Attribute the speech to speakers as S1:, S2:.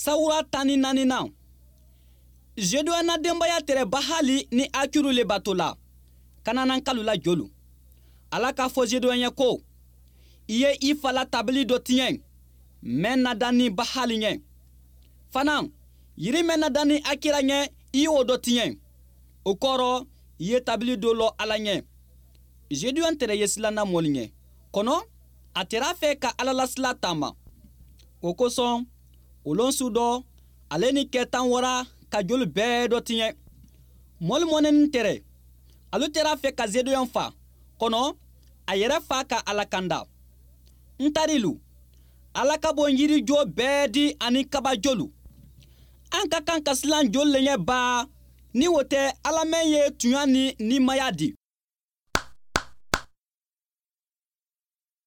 S1: Sawura 14nan, Zedeɔn na denbaya tɛrɛ Bahali ni Akiru le bato la, Kananankalu la jolu. Ala k'a fɔ Zedeɔn ye ko: "I ye i fa la tabali dɔ tiɲɛ mɛn nadanni Bahali ɲɛ. Fana, yiri mɛn nadanni Akira ɲɛ, i y'o dɔ tiɲɛ. O kɔrɔ, i ye tabali dɔ lɔ Ala ɲɛ." Zedeɔn tɛrɛ ye silanna mɔlu ɲɛ. Kɔnɔ, a tɛrɛ a fɛ ka Ala la sila taama. O kosɔn, o lon su dɔ, ale ni kɛ tan wara ka jolu bɛɛ dɔ tiɲɛ. Mɔlu mɔnɛnin tɛrɛ, alu tɛrɛ a fɛ ka Zedeɔn fa, kɔnɔ a yɛrɛ fa ka Ala kanda. N tarilu, Ala ka bon yirijo bɛɛ di ani kabajolu. An ka kan ka silan jolu le ɲɛ baa, ni o tɛ Ala mɛn ye tuɲa ni nimaya di.